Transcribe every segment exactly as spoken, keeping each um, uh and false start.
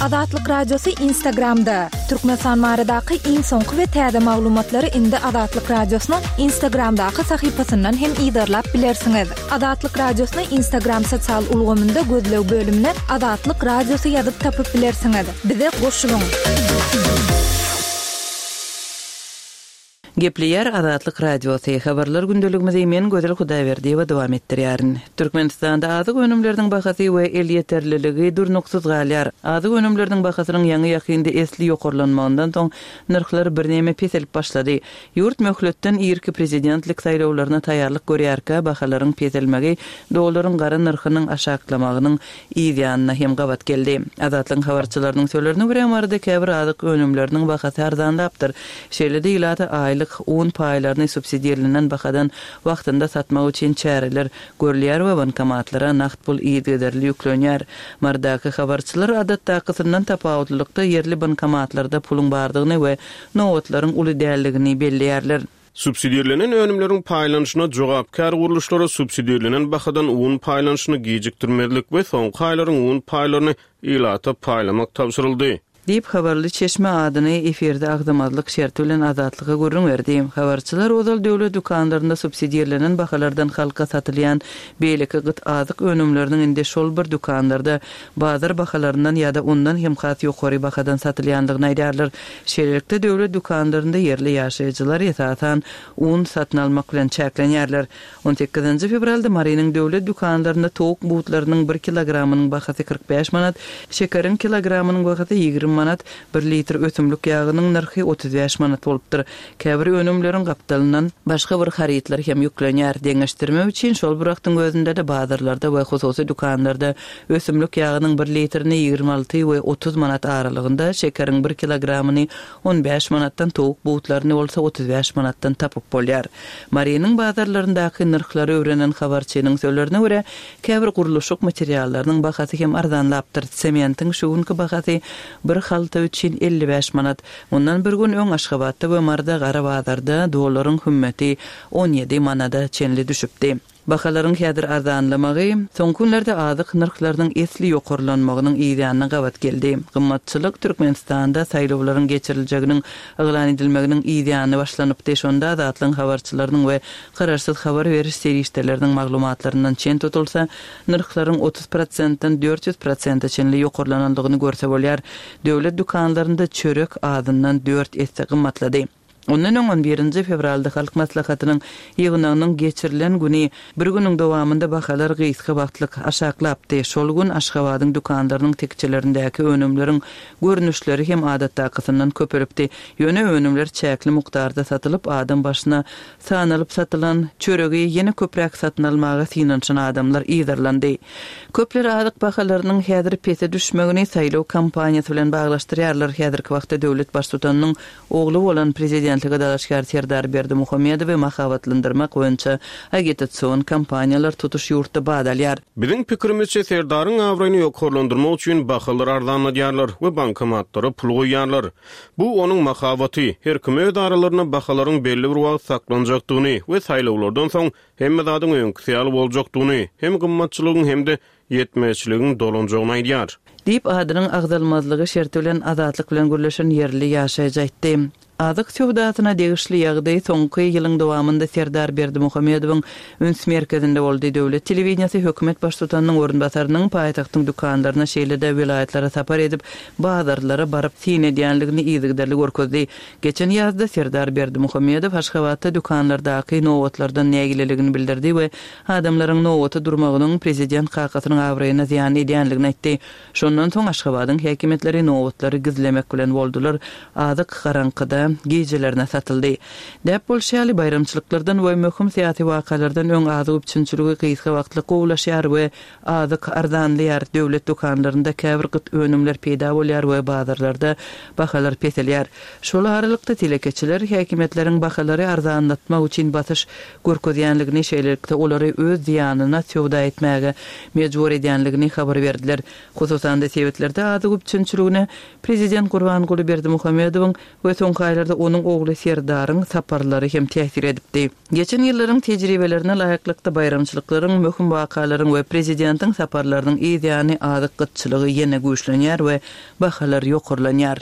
Azatlyk Radiosy Instagramda. Türkmenistan baradaky iň soňky we täze maglumatlary indi Azatlyk Radiosynyň Instagramdaky sahypasyndan hem yzarlap bilersiňiz. Azatlyk Radiosyny Instagram sosial ulgamynda gözleg bölümine Azatlyk Radiosy ýazyp tapyp bilersiňiz. Bize goşulyň. Gepleýär Azatlyk Radiosy. Habarlar gündeligimizi men Gözel Hudaýberdiýewa dowam etdirýärin. Türkmenistanda azyk önümleriniň bahasy we elýeterliligi durnuksyz galýar. Azyk önümleriniň bahasynyň ýaňy-ýakynda esli ýokarlanmagyndan soň nyrhlar birneme peselip başlady. Ýurt möhletden irki prezidentlik saýlawlaryna taýýarlyk görýärkä bahalaryň peselmegi dollaryň gara nyrhynyň aşaklamagynyň yz ýanyna hem gabat geldi. Azatlygyň habarçylarynyň sözlerine görä, Maryda käbir azyk önümleriniň bahasy arzanlapdyr. Şeýle-de ilata aýlyk un paýlaryny subsidirlenen bahadan wagtynda satmak üçin çäreler görülýär we bankomatlara nagt pul yzygiderli ýüklenýär. Marydaky habarçylar adatdakysyndan tapawutlylykda ýerli bankomatlarda puluň bardygyny we nobatlaryň uly däldigini belleýärler. Subsidirlenen önümleriň paýlanyşyna jogapkär gurluşlara subsidirlenen bahadan un paýlanyşyny gijikdirmezlik we soňky aýlaryň un paýlaryny ilata paýlamak tabşyryldy. Diýip, habarly çeşme adyny efirde agzamazlyk şerti bilen Azatlyga gürrüň berdi. Habarçylar ozal döwlet dükanlarynda subsidirlenen bahalardan halka satylýan beýleki gyt azyk önümleriniň indi şol bir dükanlarda bazar bahalaryndan ýa-da ondan hem has ýokary bahadan satylýandygyny aýdýarlar. Şeýlelikde, döwlet dükanlarynda ýerli ýaşaýjylar esasan un satyn almak bilen çäklenýärler. On sekizinji fewralda Marynyň döwlet dükanlarynda towuk butlarynyň bir kilogramynyň bahasy kyrk bäş manat, şekeriň kilogramynyň bahasy ýigrimi manat, bir litr ösümlik ýagynyň nyrhy otuz bäş manat bolupdyr. Käbir önümleriň gapdalyndan başga bir harytlar hem ýüklenýär. Deňeşdirmek üçin şol bir wagtyň özünde-de bazarlarda we hususy dükanlarda ösümlik ýagynyň bir litrini ýigrimi alty we otuz manat aralygynda, şekeriň bir kilogramyny on bäş manatdan, towuk butlaryny bolsa otuz bäş manatdan tapyp bolýar. Marynyň bazarlaryndaky nyrhlary öwrenen habarçynyň sözlerine görä, käbir gurluşyk materiallarynyň bahasy hem arzanlapdyr. Sementiň şu günki bahasy bir halta üçin elli bäş manat. Mundan bir gün öň Aşgabatda we Maryda gara bazarda dollaryň hümmeti on ýedi manada çenli düşüpdi. Bahalaryň häzir arzanlamagy soňky günlerde azyk nyrhlarynyň esli ýokarlanmagynyň yz ýanyna gabat geldi. Gymmatçylyk Türkmenistanda saýlawlaryň geçiriljeginiň yglan edilmeginiň yz ýany başlanypdy. Şonda Azatlygyň habarçylarynyň we garaşsyz habar beriş serişdeleriniň maglumatlaryndan çen tutulsa, nyrhlaryň otuz prosentden dört ýüz prosente çenli ýokarlanandygyny görse bolýar. Döwlet dükanlarynda çörek azyndan dört esse gymmatlady. Ondan öň on birinji fewralda Halk Maslahatynyň ýygnagynyň geçirilen güni bir günüň dowamynda bahalar gysga wagtlyk aşaklapdy. Şol gün Aşgabadyň dükanlarynyň tekjelerindäki önümleriň görnüşleri hem adatdakysyndan köpelipdi. Ýöne önümler çäkli mukdarda satylyp, adam başyna sanalyp satylan çöregi ýene köpräk satyn almaga synanyşan adamlar yzarlandy. Köpler azyk bahalarynyň häzir pese düşmegini saýlaw kampaniýasy bilen baglaşdyrýarlar. Häzirki wagtda döwlet baştutanynyň ogly bolan prezidentlige dalaşgär Serdar Berdimuhamedowy mahabatlandyrmak boýunça agitasion kampaniýalar tutuş ýurtda bat alýar. Biziň pikirimizçe Serdaryň abraýyny ýokarlandyrmak üçin bahalar arzanladýarlar we bankomatlara pul goýýarlar. Bu onuň mahabaty. Her kim öz aralarynda bahalaryň belli bir wagt saklanjakdygyny we saýlawlardan soň hemme zadyň öňküsi ýaly boljakdygyny, hem gymmatçylygyň hem-de ýetmezçiligiň dolanjagyny aýdýar. Diýip, adynyň agzalmazlygy şerti bilen Azatlyk bilen gürleşen ýerli ýaşaýjy aýtdy. Azyk söwdasyna degişli ýagdaý soňky ýylyň dowamynda Serdar Berdimuhamedowyň üns merkezinde boldy. Döwlet telewideniýesi hökümet baştutanynyň orunbasarynyň paýtagtyň dükanlaryna, şeýle-de welaýatlara sapar edip, bazarlara baryp syn edýänligini yzygiderli görkezdi. Geçen ýazda Serdar Berdimuhamedow Aşgabatda dükanlardaky nobatlardan nägileligini bildirdi we adamlaryň nobata durmagynyň prezident kakasynyň abraýyna zyýan edýänligini aýtdy. Şondan soň Aşgabadyň häkimiýetleri nobatlary gizlemek bilen boldular, azyk garaňkyda gijelerine satyldy. Däp bolşy ýaly, baýramçylyklardan we möhüm syýasy wakalardan öň azyk üpjünçiligi gysga wagtlyk gowulaşýar we azyk arzanlaýar, döwlet dükanlarynda käbir gyt önümler peýda bolýar we bazarlarda bahalar peselýär. Şol aralykda telekeçiler häkimiýetleriň bahalary arzanlatmak üçin basyş görkezýänligini, şeýlelikde olary öz zyýanyna söwda etmäge mejbur edýänligini habar berdiler. Hususan-da sebitlerde azyk üpjünçiligine prezident Gurbanguly Berdimuhamedowyň we soňky aýlarda ýagdaýlarda onuň ogly Serdaryň saparlary hem täsir edipdi. Geçen ýyllaryň tejribelerine laýyklykda baýramçylyklaryň, möhüm wakalaryň we prezidentiň saparlarynyň ýany azyk gytçylygy ýene güýçlenýär we bahalar ýokarlanýar.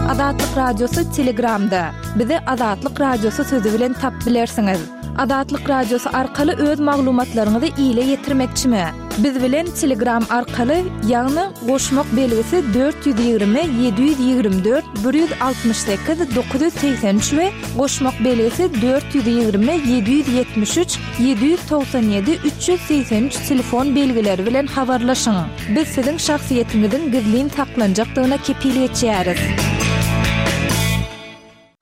Azatlyk Radiosy Telegramda. Bizi Azatlyk Radiosy sözi bilen tap bilersiňiz. Azatlyk Radiosy arkaly öz maglumatlaryňyzy ile ýetirmekçimi? Biz bilen Telegram arkaly, ýagny goşmak belgisi dört ýüz ýigrimi ýedi ýüz ýigrimi dört bir ýüz altmyş sekiz dokuz ýüz segsen üç we goşmak belgisi dört ýüz ýigrimi ýedi ýüz ýetmiş üç ýedi ýüz togsan ýedi üç ýüz segsen üç telefon belgileri bilen habarlaşyň. Biz siziň şahsyýetiňiziň gizlin saklanjakdygyna kepil geçýäris.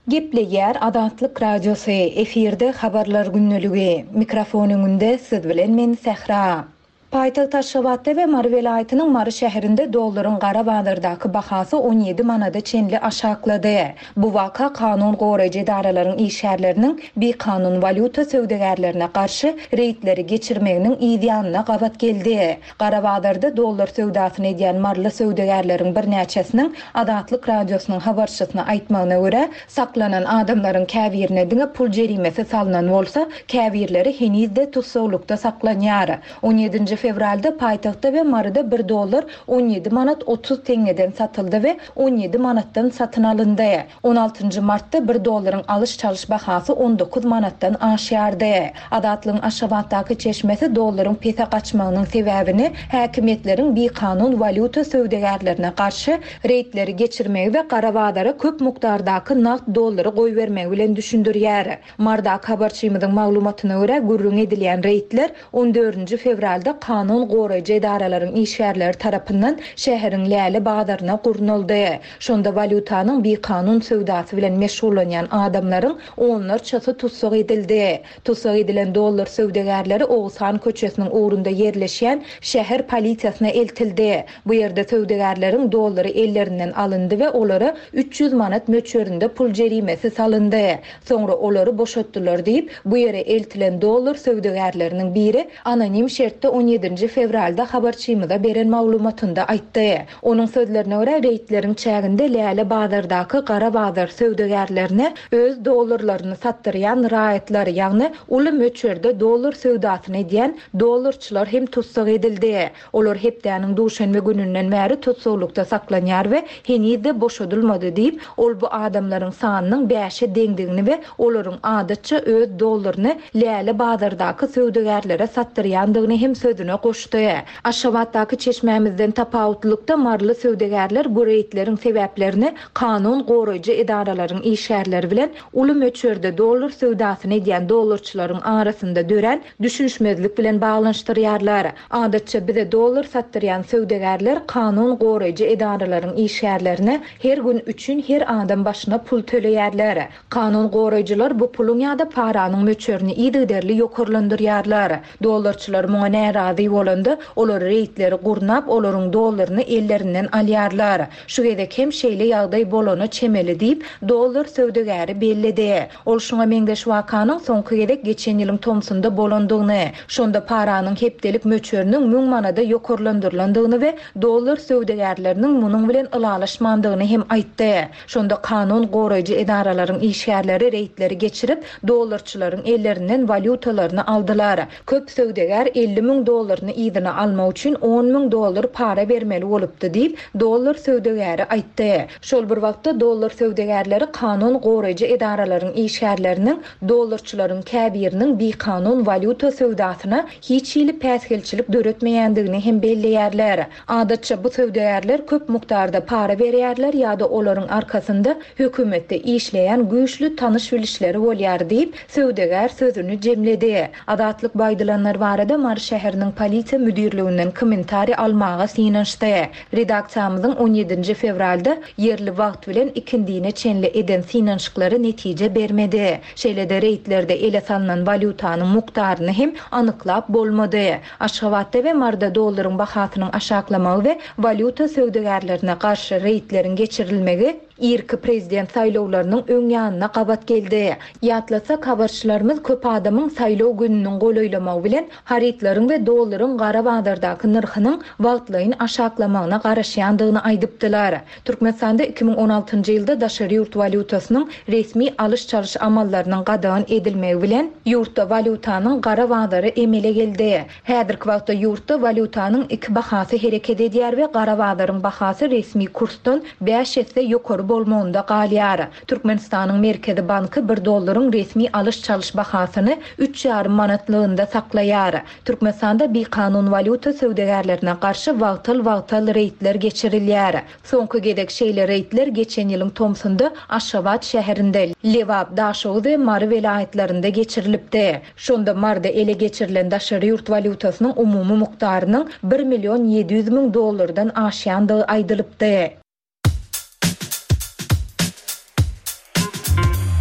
Gepleýär Azatlyk Radiosy, efirde habarlar günlügi. Mikrofon öňünde siz bilen men Sähra. Paýtagt Aşgabatda we Mary welaýatynyň Mary şäherinde dollaryň gara bazardaky bahasy on ýedi manada çenli aşaklady. Bu waka kanun goraýjy edaralaryň işgärleriniň bikanun walýuta söwdagärlerine garşy reýdleri geçirmeginiň ýanyna gabat geldi. Gara bazarda dollar söwdasyny edýän maryly söwdagärleriň birnäçesiniň Azatlyk Radiosynyň habarçysyna aýtmagyna görä, saklanan adamlaryň käbirine diňe pul jerimesi salynan bolsa, käbirleri henizde tussaglykda saklanýar. on ýedinji fewralda paýtagtda we Maryda bir dollar on ýedi manat otuz teňňeden satyldy we on ýedi manatdan satyn alyndy. on altynjy martda bir dollaryň alyş-çalyş bahasy on dokuz manatdan aşýardy. Azatlygyň Aşgabatdaky çeşmesi dollaryň pese gaçmagynyň sebäbini häkimiýetleriň bikanun walýuta söwdagärlerine garşy reýdleri geçirmegi we gara bazara köp mukdardaky nagt dollary goýbermegi bilen düşündirýär. Mardaky habarçymyzyň maglumatyna görä gürrüň edilýän reýdler on dördünji fewralda kanun goraýjy edaralaryň işgärleri tarapyndan şäheriň Läle bazaryna gurnaldy. Şonda walýutanyň bikanun söwdasy bilen meşgullanýan adamlaryň onlarçasy tussag edildi. Tussag edilen dollar söwdagärleri Oguzhan köçesiniň ugrunda ýerleşýän şäher polisiýasyna eltildi. Bu ýerde söwdagärleriň dollary ellerinden alyndy we olara üç ýüz manat möçberinde pul jerimesi salyndy. Soňra olary boşatdylar diýip, bu ýere eltilen dollar söwdagärleriniň biri anonim şertde on ýedinji fewralda habarçymyza beren maglumatynda aýtdy. Onuň sözlerine görä, reýdleriň çäginde Läle bazardaky gara bazar söwdagärlerine öz dollarlaryny satdyrýan raýatlar, ýagny uly möçberde dollar söwdasyny edýän dollarçylar hem tussag edildi. Olar hepdäniň duşenbe gününden bäri tussaglykda saklanýar we henizde boşadylmady diýip, ol bu adamlaryň sanynyň bäşe deňdigini we olaryň adatça öz dollaryny Läle bazardaky söwdagärlere satdyrýandygyny hem sözüne goşdy. Aşgabatdaky çeşmämizden tapawutlykda maryly söwdagärler bu reýdleriň sebäplerini kanun goraýjy edaralaryň işgärleri bilen uly möçberde dollar söwdasyny edýän dollarçylaryň arasynda dörän düşünişmezlik bilen baglanyşdyrýarlar. Adatça bize dollar satdyrýan söwdagärler kanun goraýjy edaralaryň işgärlerine her gün üçin her adam başyna pul töleýärler. Kanun goraýjylar bu puluň ýa-da paranyň möçberini yzygiderli ýokarlandyrýarlar. Dollarçylar muňa närazy bolanda, olar reýdleri gurnap, olaryň dollaryny ellerinden alýarlar. Şu gezek hem şeýle ýagdaý bolana çemeli diýip, dollar söwdagäri belledi. Ol şuňa meňzeş wakanyň soňky gezek geçen ýylyň tomsunda bolandygyny, şonda paranyň hepdelik möçberiniň müň manada ýokarlandyrylandygyny we dollar söwdagärleriniň munuň bilen ylalaşmandygyny hem aýtdy. Şonda kanun goraýjy edaralaryň işgärleri reýdleri geçirip, dollarçylaryň ellerinden walýutalaryny aldylar. Köp söwdagär elli müň dollaryny yzyna almak üçin on müň dollar para bermeli bolupdy diýip, dollar söwdagäri aýtdy. Şol bir wagtda dollar söwdagärleri kanun goraýjy edaralaryň işgärleriniň dollarçylaryň käbiriniň bikanun walýuta söwdasyna hiç hili päsgelçilik döretmeýändigini hem belleýärler. Adatça bu söwdagärler köp mukdarda para berýärler ýa-da olaryň arkasynda hökümetde işleýän güýçli tanyş bilişleri bolýar diýip, söwdagär sözüni jemledi. Azatlyk baýdylanlar barada Mary şäheriniň polisiýa müdirliginden kommentariý almaga synanyşdy. Redaksiýamyzyň on ýedinji fewralda ýerli wagt bilen ikindine çenli eden synanyşyklary netije bermedi. Şeýle-de reýdlerde ele salynan walýutanyň mukdaryny hem anyklap bolmady. Aşgabatda we Maryda dollaryň bahasynyň aşaklamagy we walýuta söwdagärlerine garşy reýdleriň geçirilmegi irki prezident saýlawlarynyň öň ýanyna gabat geldi. Ýatlasak, habarçylarymyz köp adamyň saýlaw gününiň golaýlamagy bilen harytlaryň we dollaryň gara bazardaky nyrhynyň wagtlaýyn aşaklamagyna garaşýandygyny aýdypdylar. Türkmenistanda iki müň on altynjy ýylda daşary ýurt walýutasynyň resmi alyş-çalyş amallarynyň gadagan edilmegi bilen ýurtda walýutanyň gara bazary emele geldi. Häzirki wagtda ýurtda walýutanyň iki bahasy hereket edýär we gara bazaryň bahasy resmi kursdan bäş esse ýokary bolmagynda galýar. Türkmenistanyň Merkezi Banky bir dollaryň resmi alyş-çalyş bahasyny üç ýarym manatlygynda saklaýar. Türkmenistanda bikanun walýuta söwdagärlerine garşy wagtal-wagtal reýdler geçirilýär. Soňky gezek şeýle reýdler geçen ýylyň tomsunda Aşgabat şäherinde, Lebap, Daşoguz we Mary welaýatlarynda geçirilipdi. Şonda Marda ele geçirilen daşary ýurt walýutasynyň umumy mukdarynyň bir million ýedi ýüz müň dollardan aşýandygy aýdylypdy.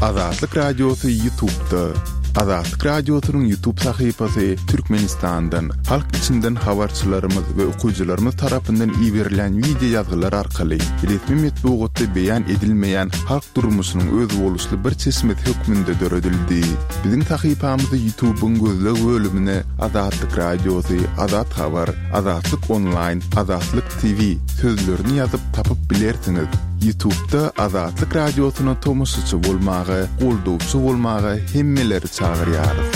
Azatlyk Radiosy YouTube'da. Azatlyk Radiosynyň YouTube sahypasy Türkmenistandan, halk içinden habarçylarymyz we okyjylarymyz tarapyndan iberilen video ýazgylar arkaly resmi metbugatda beýan edilmeýän halk durmuşynyň özboluşly bir çeşmesi hökmünde döredildi. Biziň sahypamyzy YouTube'yň gözleg bölümine Azatlyk Radiosy, Azat Habar, Azatlyk Online, Azatlyk T V sözlerini ýazyp tapyp bilersiňiz. YouTube'da Azatlyk Radiosyna tomaşaçy bolmaga, goldawçy bolmaga hemmeleri çagyrýarys.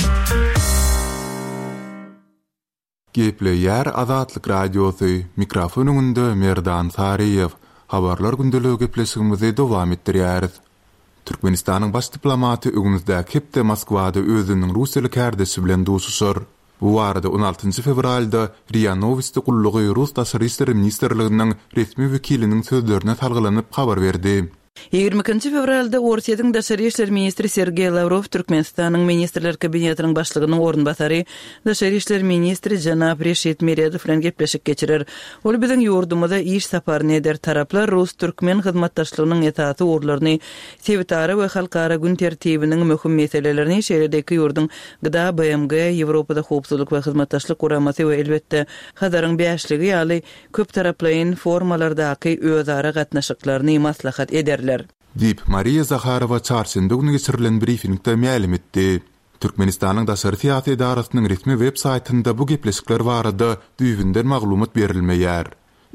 Gepleýär Azatlyk Radiosy, mikrofon öňünde Merdan Saryýew. Habarlar gündeligi gepleşigimizi dowam etdirýäris. Türkmenistanyň baş diplomaty öňümizdäki hepde Moskwada özüniň Russiýaly kärdeşi bilen duşuşar. Bu barada on altynjy fewralda RIA Novosti gullugy Rus Daşary işler ministrliginiň resmi wekiliniň sözlerine salgylanyp habar berdi. Ýigrimi ikinji fewralda Orsýetiň Daşary işler ministri Sergeý Lavrov Türkmenistanyň Ministrler Kabinetiniň başlygynyň orunbasary Daşary işler ministri Jenap Reşit Meredow bilen gepleşik geçirer. Ol biziň ýurdumyza iş saparyny eder. Taraplar Rus-Türkmen hyzmatdaşlygynyň esasy ugurlaryny, sebitara we halkara gün tertibiniň möhüm meselelerini, şeýle-de iki ýurduň G D A, B M G, Ýewropada howpsuzlyk we hyzmatdaşlyk guramasy we elbetde Hazaryň bäşligi ýaly köp taraplaýyn formalardaky özara gatnaşyklaryny maslahat ederler. Diýip Mariýa Zaharowa çarşenbe güni geçirilen briefingde mälim etdi. Türkmenistanyň daşary syýasy edarasynyň resmi web saýtynda bu gepleşikler barada düýbünden maglumat berilmeýär.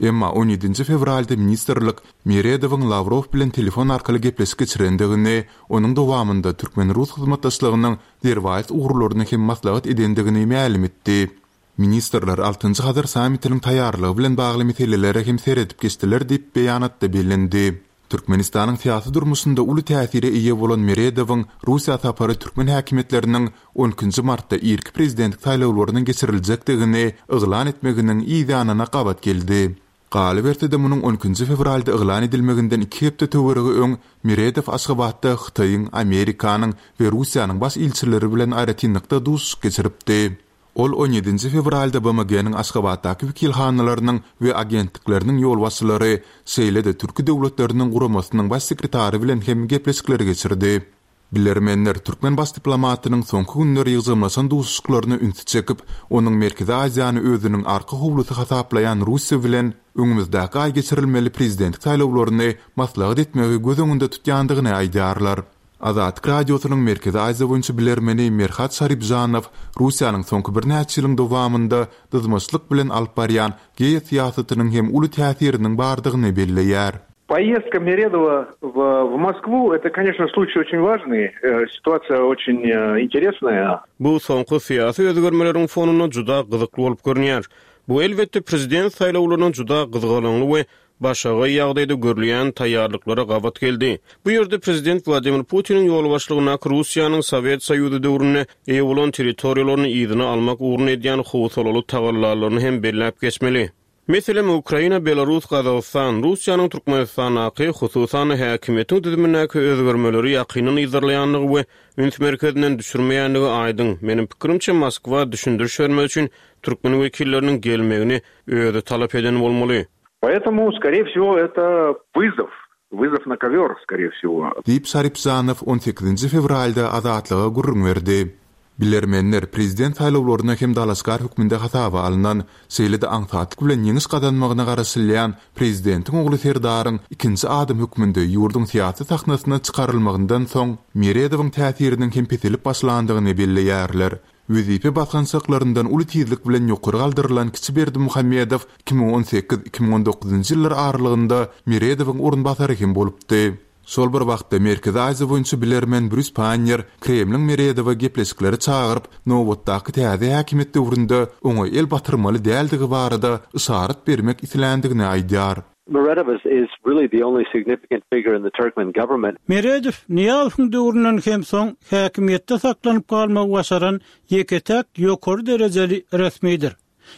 Emma on ýedinji fewralda ministrlik Meredowyň Lavrov bilen telefon arkaly gepleşik geçirendigini, onuň dowamynda türkmen-rus hyzmatdaşlygynyň derwaýys ugurlaryny hem maslahat edendigini mälim etdi. Ministrler altynjy Hazar sammitiniň taýýarlygy bilen bagly meselelere hem seredip geçdiler diýip beýanatda bellendi. Türkmenistanyň syýasy durmuşynda uly täsire eýe bolan Meredowyň Russiýa sapary türkmen häkimiýetleriniň on ikinji martda irki prezidentlik saýlawlarynyň geçiriljekdigini yglan etmeginiň yz ýanyna gabat geldi. Galyberse-de munuň on ikinji fewralda yglan edilmeginden iki hepde töweregi öň Meredow Aşgabatda Hytaýyň, Amerikanyň we Russiýanyň baş ilçileri bilen aýratynlykda duşuşyk geçiripdi. Ol on ýedinji fewralda B M G-niň Aşgabatdaky wekilhanalarynyň we agentlikleriniň ýolbaşçylary, şeýle-de Türki döwletleriniň guramasynyň baş sekretary bilen hem gepleşikleri geçirdi. Bilermenler türkmen baş diplomatynyň soňky günler ýygjamlaşan duşuşyklaryna ünsi çekip, onuň Merkezi Aziýany özüniň arka howlusy hasaplaýan Russiýa bilen öňümizdäki aý geçirilmeli prezidentlik saýlawlaryny maslahat etmegi göz öňünde tutýandygyny aýdýarlar. Azatlyk Radiosynyň Merkezi Aziýa boýunça bilermeni Merhat Şaripjanow Russiýanyň soňky birnäçe ýylyň dowamynda dyzmaçlyk bilen alyp barýan geosyýasatynyň hem uly täsiriniň bardygyny belleýär. Поездка Meredowa в, в Москву, это, конечно, случай очень важный, э, ситуация очень, э, интересная. Bu soňky syýasy özgermeleriň fonunda juda gyzykly bolup görünýär. Bu elbetde prezident saýlawlarynyň juda gyzgalaňly we başaga ýagdaýda görülýän taýýarlyklara gabat geldi. Bu ýerde prezident Wladimir Putiniň ýolbaşçylygyndaky Russiýanyň Sowet Soýuzy döwründe eýe bolan territoriýalaryny yzyna almak ugruna edýän howsalaly tagallalaryny hem belläp geçmeli. Meselem, Ukraina, Belarus, Gazagystan, Russiýanyň Türkmenistandaky hususan häkimiýetiň düzümindäki özgermeleri ýakyndan yzarlaýandygy we üns merkezinden düşürmeýändigi aýdyň. Meniň pikirimçe Moskwa düşündiriş bermek üçin türkmen wekilleriniň gelmegini özi talap eden bolmaly. Поэтому, скорее всего, это вызов. Вызов на ковер, скорее всего. Diýip Şaripjanow on sekizinji fewralda Azatlyga gürrüň berdi. Bilermenler prezident saýlawlaryna hem dalaşgär hökmünde hasaba alnan, şeýle-de aňsatlyk bilen ýeňiş gazanmagyna garaşylýan prezidentiň ogly Serdaryň ikinji adam hökmünde ýurduň syýasy sahnasyna çykarylmagyndan soň Meredowyň täsiriniň hem peselip başlandygyny belleýärler. Wezipe basgançaklaryndan uly tizlik bilen ýokary galdyrylan kiçi Berdimuhamedow iki müň on sekiz iki müň on dokuzynjy ýyllar aralygynda Meredowyň orunbasary hem bolupdy. Şol bir wagtda Merkezi Aziýa boýunça bilermen Brýus Pannier Kremliň Meredowa gepleşikleri çagyryp, nobatdaky täze häkimiýet döwründe oňa el batyrmaly däldigi barada yşarat bermek isländigini aýdýar. Meredow is, is really the only significant figure in the Turkmen government. Meredow Nyýazowyň döwründen hem soň häkimiýetde saklanyp galmagy başaran ýeke-täk ýokary derejeli resmidir.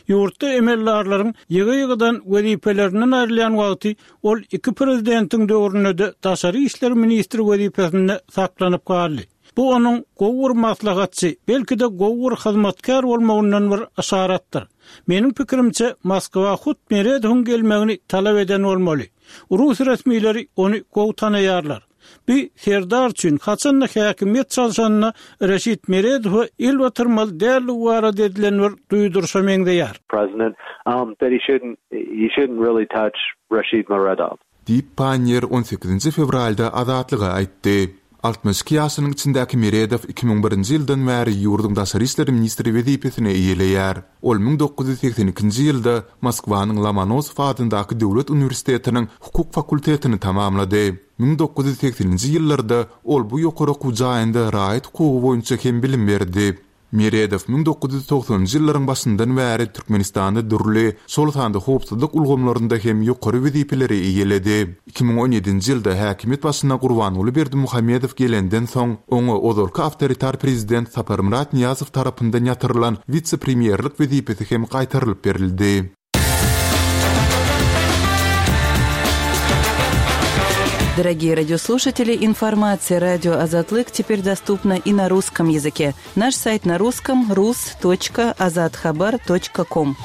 Ýurtda emeldarlaryň ýygy-ýygydan wezipelerinden aýrylýan wagty ol iki prezidentiň döwründe-de daşary işler ministri wezipesinde saklanyp galdy. Bu onuň gowy bir maslahatçy, belki-de gowy bir hyzmatkär bolmagyndan bir yşaratdyr. Meniň pikirimçe Moskwa hut Meredowyň gelmegini talap eden bolmaly. Rus resmileri ony gowy tanaýarlar. Bir Serdar üçin haçanda häkimiýet çalşanyna Reşit Meredowa el batyrmaly däldigi barada edilen bir duýduryşa meňzeýär. President, um, that he shouldn't, he shouldn't really touch Rashid Meredov. Diýip Pannier on sekizinji fewralda Azatlyga aýtdy. Altmyş iki ýaşynyň içindäki Meredow iki müň birinji ýyldan bäri ýurduň daşary işler ministri wezipesini eýeleýär. Ol müň dokuz ýüz segsen ikinji ýylda Moskwanyň Lomonosow adyndaky Döwlet uniwersitetiniň hukuk fakultetini tamamlady. Müň dokuz ýüz segseninji ýyllarda ol bu ýokary okuw jaýynda raýat hukugy boýunça hem bilim berdi. Meredow müň dokuz ýüz togsanynjy ýyllaryň başyndan bäri Türkmenistanda dürli, şol sanda howpsuzlyk ulgamlarynda hem ýokary wezipeleri eýeledi. Iki müň on ýedinji ýylda häkimiýet başyna Gurbanguly Berdimuhamedow gelenden soň, oňa ozalky awtoritar prezident Saparmyrat Nyýazow tarapyndan ýatyrylan wise-premýerlik wezipesi hem gaýtarylyp berildi. Дорогие радиослушатели, информация радио Азатлык теперь доступна и на русском языке. Наш сайт на русском рус точка азатхабар точка ком.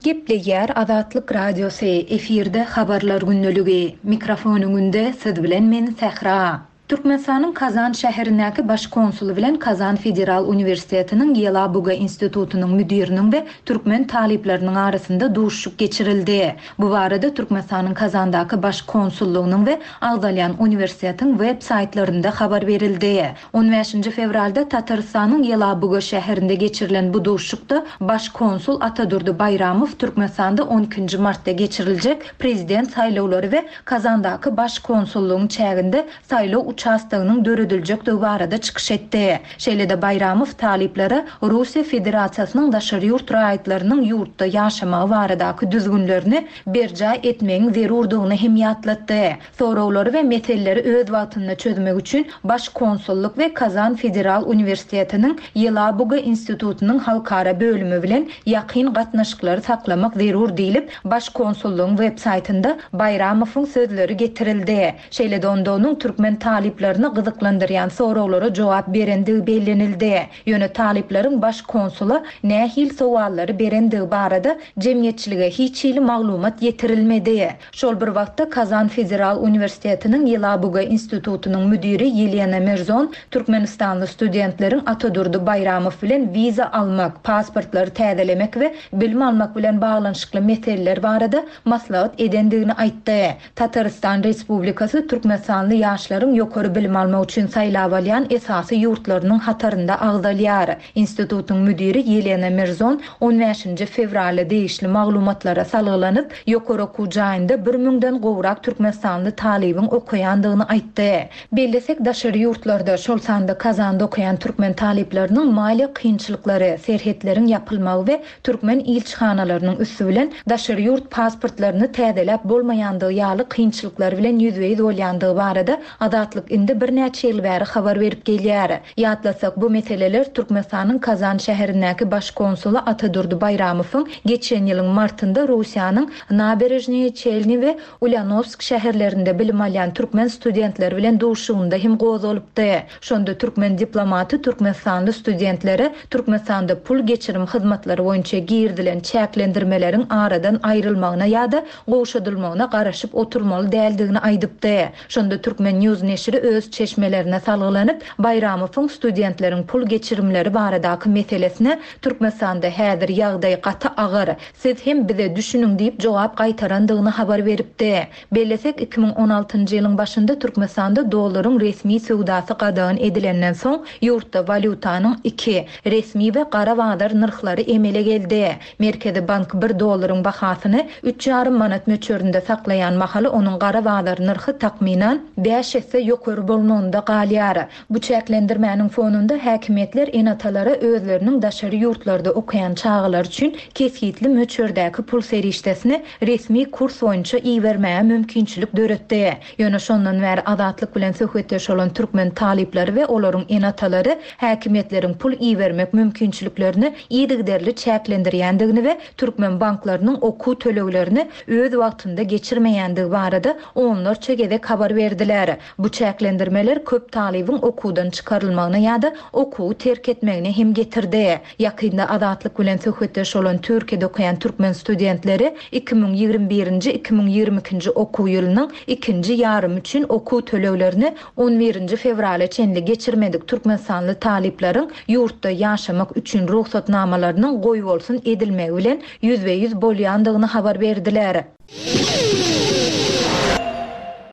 Gepleýär Azatlyk Radiosy, efirde habarlar gündeligi. Mikrofon öňünde siz bilen men Sähra. Türkmenistanyň Kazan şäherindäki baş konsuly bilen Kazan Federal Uniwersitetiniň Ýelabuga institutynyň müdiriniň we türkmen talyplarynyň arasynda duşuşyk geçirildi. Bu barada Türkmenistanyň Kazandaky baş konsullygynyň we agzalýan uniwersitetiň web saýtlarynda habar berildi. on bäşinji fewralda Tatarystanyň Ýelabuga şäherinde geçirilen bu duşuşykda baş konsul Atadurdy Baýramow Türkmenistanda on ikinji martda geçiriljek prezident saýlawlary we Kazandaky baş konsullygyň çäginde saýlaw uçastogynyň dörediljekdigi barada çykyş etdi. Şeýle-de Baýramow talyplara Russiýa Federasiýasynyň daşary ýurt raýatlarynyň ýurtda ýaşamagy baradaky düzgünlerini berjaý etmegiň zerurdygyny hem ýatlatdy. Sorawlary we meseleleri öz wagtynda çözmek üçin Baş konsullyk we Kazan Federal Uniwersitetiniň Ýelabuga institutynyň halkara bölümi bilen ýakyn gatnaşyklary saklamak zerur diýlip, Baş konsullygyň web saýtynda Baýramowyň sözleri getirildi. Şeýle-de onda onuň türkmen talyplaryny gyzyklandyrýan sorawlara jogap berendigi bellenildi. Ýöne talyplaryň baş konsula nähil sowallary berendigi barada jemgyýetçilige hiç hili maglumat ýetirilmedi. Şol bir wagtda Kazan Federal Uniwersitetiniň Ýelabuga institutynyň müdiri Ýelena Merzon Türkmenistanly studentleriň Atadurdy Baýramow bilen wiza almak, pasportlary täzelemek we bilim almak bilen baglanyşykly meseleler barada maslahat edendigini aýtdy. Tatarystan Respublikasy Türkmenistanly ýaşlaryň ýokary bilim almak üçin saýlap alýan esasy ýurtlarynyň hatarynda agzalýar. Institutyň müdiri Ýelena Merzon on bäşinji fewralda degişli maglumatlara salgylanyp, ýokary okuw jaýynda bir müňden gowrak Türkmenistanly talybyň okaýandygyny aýtdy. Bellesek daşary ýurtlarda, şol sanda Kazanda okaýan türkmen talyplarynyň maliýe kynçylyklary, serhetleriň ýapylmagy we türkmen ilçihanalarynyň üsti bilen daşary ýurt pasportlaryny täzeläp bolmaýandygy ýaly kynçylyklar bilen ýüzbe-ýüz bolýandygy barada Azatlyk Azatlyk indi birnäçe ýyl bäri habar berip gelýär. Ýatlasak, bu meseleler Türkmenistanyň Kazan şäherindäki baş konsuly Atadurdy Baýramowyň geçen ýylyň martynda Russiýanyň Naberežnyýe Çelni we Ulýanowsk şäherlerinde bilim alýan türkmen studentleri bilen duşuşygynda hem gozgalypdy. Şonda türkmen diplomaty türkmenistanly studentlere Türkmenistanda pul geçirim hyzmatlary boýunça girizilen çäklendirmeleriň aradan aýrylmagyna ýa-da gowşadylmagyna garaşyp oturmaly däldigini aýdypdy. Şonda Türkmen News neşiri öz çeşmelerine salgylanyp, Baýramowyň studentleriň pul geçirimleri baradaky meselesine Türkmenistanda häzir ýagdaý gaty agyr, siz hem bize düşüniň diýip jogap gaýtarandygyny habar beripdi. Bellesek, iki müň on altynjy ýylyň başynda Türkmenistanda dollaryň resmi söwdasy gadagan edilenden soň ýurtda walýutanyň iki, resmi we gara bazar nyrhlary emele geldi. Merkezi bank bir dollaryň bahasyny üç ýarym manat möçberinde saklaýan mahaly onuň gara bazar nyrhy takmynan bäş esse ýokary bolmagynda galýar. Bu çäklendirmäniň fonunda häkimiýetler ene-atalara özleriniň daşary ýurtlarda okaýan çagalar üçin kesgitli möçberdäki pul serişdesini resmi kurs boýunça ibermäge mümkinçilik döretdi. Ýöne şondan bäri Azatlyk bilen söhbetdeş bolan türkmen talyplary we olaryň ene-atalary häkimiýetleriň pul ibermek mümkinçiliklerini yzygiderli çäklendirýändigini we türkmen banklarynyň okuw töleglerini öz wagtynda geçirmeýändigi barada onlarça gezek habar berdiler. Bu çäklendirmeler köp talybyň okuwdan çykarylmagyna ýa-da okuwy terk etmegine hem getirdi. Ýakynda Azatlyk bilen söhbetdeş bolan Türkiýede okaýan türkmen studentleri iki müň ýigrimi birinji, iki müň ýigrimi ikinji okuw ýylynyň ikinji ýarymy üçin okuw töleglerini on birinji fewrala çenli geçirmedik türkmenistanly talyplaryň ýurtda ýaşamak üçin rugsatnamalarynyň goýbolsun edilmegi bilen ýüzbe-ýüz bolýandygyny habar berdiler.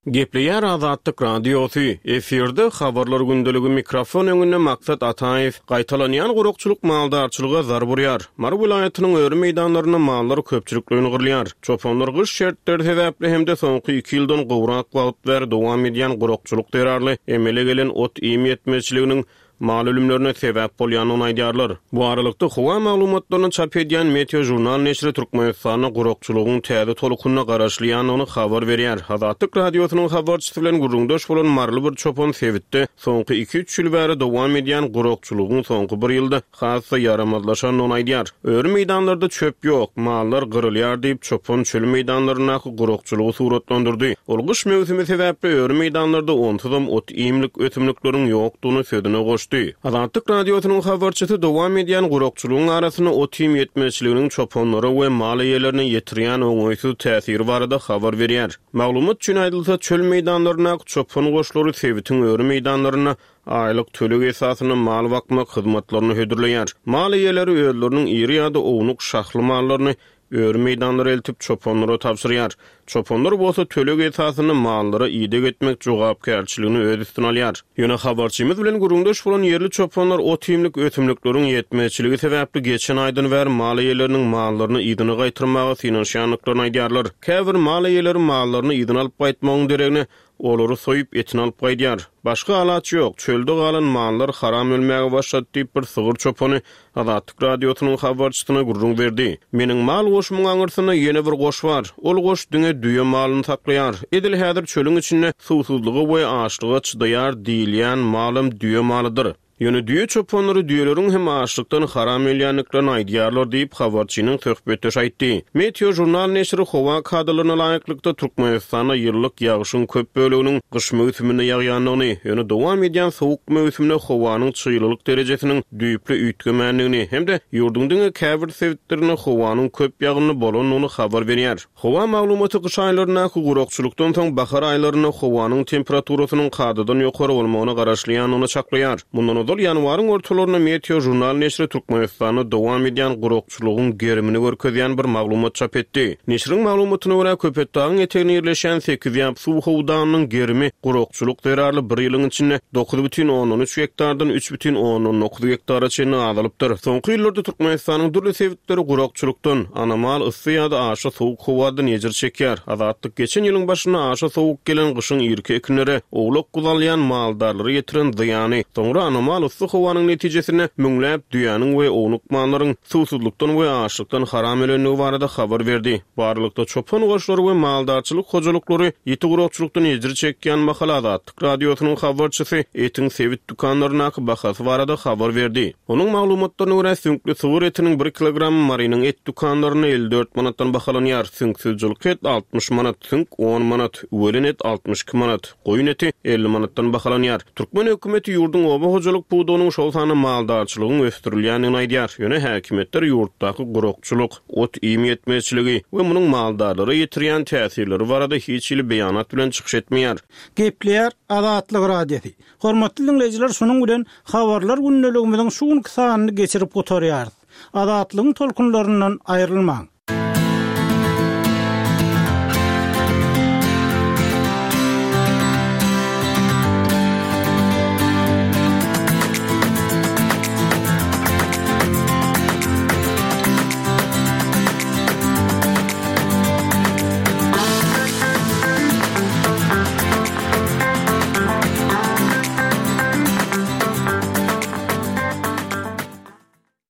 Gepleýär Azatlyk Radiosy. Efirde habarlar gündeligi mikrofon öňünde Maksat Ataýew. Gaýtalanýan gurakçylyk maldarçylyga zarb urýar. Mary welaýatynyň öri meýdanlarynda mallar köpçülikleýin gyrylýar. Çopanlar gyş şertleri sebäpli hem-de soňky iki ýyldan gowrak wagt bäri dowam edýän gurakçylyk zerarly emele gelen ot-iým ýetmezçiliginiň mal ölümlerine sebäp bolýandygyny aýdýarlar. Bu aralykda howa maglumatlaryny çap edýän Meteo Jurnal neşiri Türkmenistanda gurakçylygyň täze tolkunyna garaşylýandygyny habar berýär. Azatlyk Radiosynyň habarçysy bilen gürrüňdeş bolan maryly bir çopan sebitde soňky iki-üç ýyl bäri dowam edýän gurakçylygyň soňky bir ýylda has-da ýaramazlaşandygyny aýdýar. Öri meýdanlarda çöp ýok, mallar gyrylýar diýip çopan çöl meýdanlaryndaky gurakçylygy suratlandyrdy. Ol gyş möwsümi sebäpli öri meýdanlarda onsuzam ot-iýmlik ösümlikleriň ýokdugyny sözüne goşdy. Azatlyk Radiosynyň habarçysy dowam edýän gurakçylygyň arasynda ot-iým ýetmezçiliginiň çopanlara we mal eýelerine ýetirýän oňaýsyz täsiri barada habar berýär. Maglumat üçin aýdylsa, çöl meýdanlaryndaky çopan goşlary sebitiň öri meýdanlarynda aýlyk töleg esasynda mal bakmak hyzmatlaryny hödürleýär. Mal eýeleri özleriniň iri ýa-da ownuk şahly mallaryny öri meýdanlara eltip çopanlara tabşyrýar. Çopanlar bolsa töleg esasynda mallara ideg etmek jogapkärçiligini öz üstüne alýar. Ýöne habarçymyz bilen gürrüňdeş bolan ýerli çopanlar ot-iýmlik ösümlikleriň ýetmezçiligi sebäpli geçen aýdan bäri mal eýeleriniň mallaryny yzyna gaýtyrmaga synanyşýandyklaryny aýdýarlar. Käbir mal eýeleri mallaryny yzyna alyp gaýtmagyň deregine olary soýup etini alyp gaýdýar. Başga alaç ýok, çölde galan mallar haram ölmäge başlady diýip bir sygyr çopany Azatlyk Radiosynyň habarçysyna gürrüň berdi. Meniň mal goşumyň aňyrsynda ýene bir goş bar. Ol goş diňe düýe malyny saklaýar. Edil häzir çölüň içinde suwsuzlyga we açlyga çydaýar diýilýän malym düýe malydyr. Ýöne düýe çopanlary düýeleriň hem açlykdan haram ölýändiklerini aýdýarlar diýip habarçynyň söhbetdeşi aýtdy. Meteo Jurnal neşiri howa kadalaryna laýyklykda Türkmenistanda ýyllyk ýagyşyň köp böleginiň gyş möwsüminde ýagýandygyny, ýöne dowam edýän sowuk möwsümde howanyň çyglylyk derejesiniň düýpli üýtgemändigini hem-de ýurduň diňe käbir sebitlerinde howanyň köp ýagynly bolandygyny habar berýär. Howa maglumaty gyş aýlaryndaky gurakçylykdan soň bahar aýlarynda howanyň temperaturasynyň kadadan ýokary bolmagyna garaşylýandygyny çaklaýar. Mundan ozal ýanwaryň ortalarynda Meteo Jurnal neşiri Türkmenistanda dowam edýän gurakçylygyň gerimini görkezýän bir maglumat çap etdi. Neşiriň maglumatyna görä Köpetdagyň eteginde ýerleşen sekiz ýap suw howdanynyň gerimi gurakçylyk zerarly bir ýylyň içinde dokuz bütin ondan üç gektardan üç bütin ondan dokuz gektara çenli azalypdyr. Soňky ýyllarda Türkmenistanyň dürli sebitleri gurakçylykdan, anomal yssy ýa-da aşa sowuk howadan ejir çekýär. Azatlyk geçen ýylyň başynda aşa sowuk gelen gyşyň irki ekinlere owlak guzalýan maldarlara ýetiren zyýany, soňra anomal Ähtimal yssy howanyň netijesinde müňläp düýäniň we ownuk mallaryň suwsuzlykdan we açlykdan haram ölendigi barada habar berdi. Bu aralykda, çopan goşlary we maldarçylyk hojalyklary ýiti gurakçylykdan ejir çekýän mahaly Azatlyk Radiosynyň habarçysy etiň sebit dükanlaryndaky bahasy barada habar berdi. Onuň maglumatlaryna görä, süňkli sygyr etiniň bir kilogramy Marynyň et dükanlarynda elli dört manatdan bahalanýar, süňksüz jylky et altmyş manat, süňk on manat, üwelen et altmyş iki manat, goýun eti elli manatdan bahalanýar. Türkmen hökümeti ýurduň oba hojalyk pudagynyň, şol sanda maldarçylygyň ösdürilýändigini aýdýar. Ýöne häkimiýetler ýurtdaky gurakçylyk, ot-iým ýetmezçiligi we munuň maldarlara ýetirýän täsirleri barada hiç hili beýanat bilen çykyş etmeýär. Gepleýär Azatlyk Radiosy. Hormatly diňleýjiler, şunuň bilen Habarlar gündeligimiziň şu günki sanyny geçirip gutarýarys. Azatlygyň tolkunlaryndan aýrylmaň!